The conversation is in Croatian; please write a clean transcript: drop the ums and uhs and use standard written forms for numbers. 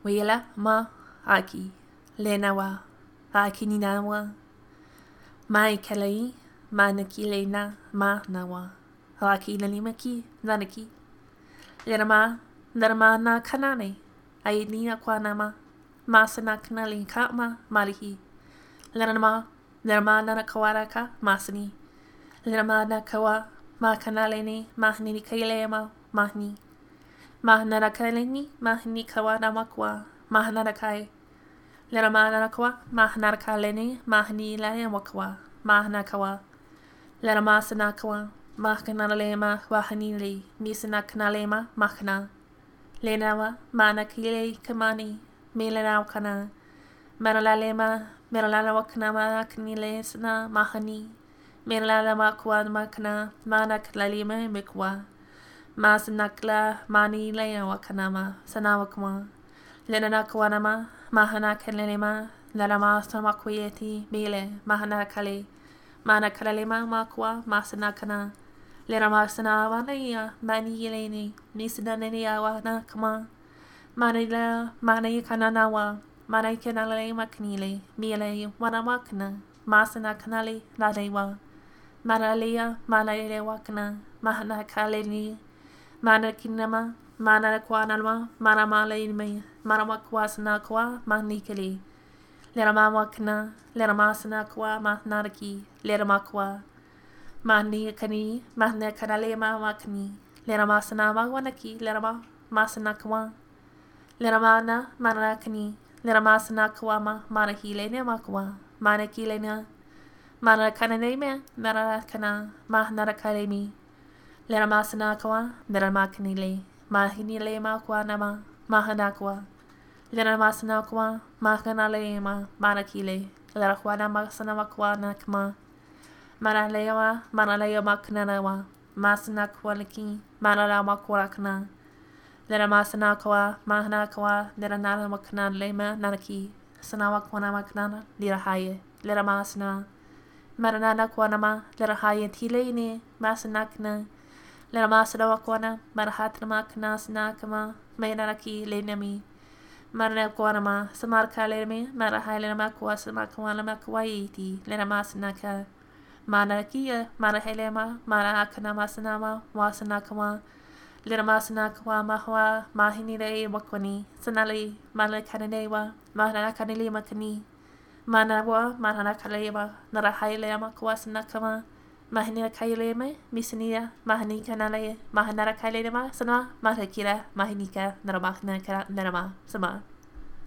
Wela ma aki lenawa aki ninawa mai kalai manaki lena ma nawa aki nalimaki nanaki lerama na kanane ai ni akwanama masana kanali kama marihi lerama na kawaraka masani lerama na kawa ma kanale ni mahni kailema mahni Mahnara kaleni, mahni kawa namakwa, mahnara kai. Lerama kwa, mahnara kaleni, mahni layawakwa, mahna kawa. Lerama sanakwa, mahkanalema, wahanili, misanakanalema, mahna. Lenawa, manakile kamani, milanau kana. Meralalema, meralawaknama, kanile sana, mahani. Meralamakwa makna, manaklalima, mikwa. Masanakla mani lea wakanama sanawakma lenanakwanama mahana kalelema lalama samakwayeti mele mahana kale mana kalelema makwa masanakana lerama sanawa lea mani yeleni nisanania wana kama manila mani kananawa mani kanale maknile mele wanamakna masanakanale ladewa manalea manale wakna mahana kaleni Mana kinama, mana kwanalma, mana malainme, mana kwasana kwa, mahnikali. Lerama wakna, lerama sana kwa, mahnaraki, lerama kwa. Mahni kani, mahne kanalema wakni. Lerama sana wanaki, lerama masana kwa. Lerama na, mana kani, lerama sana kwa ma, mana hile ne makwa, mana kile na. Mana kananeme, mana kana, mahnarakalemi. Lerama sanakwa, lerama kanile, mahinile makwa nama, mahanakwa. Lerama sanakwa, mahanale ma, manakile, lerakwana masanamakwa nakma. Manalewa, manalewa maknanawa, masanakwa laki, manalama kwarakna. Lerama sanakwa, mahanakwa, leranana maknan lema nanaki, sanawakwana maknana, lirahaye, lerama sana. Maranana kwanama, lirahaye tilene, masanakna. Lerama sadawakwana, marhatnamakna sanakama, mainaraki lenami. Maranakwanama, samarka lerame, marahailemakwa samakwanamakwayiti, lerama sanaka. Manakia, marahelema, marahakanama sanama, wasanakama. Lerama sanakwa mahwa, mahinire wakwani, sanali, malakananewa, mahanakanili makani. Manawa, mahanakalema, narahailema kwasanakama. Mahina kaileme, misania, mahani kanale, mahanara kailema, sana, mahakira, mahinika, naramahna, narama, sama.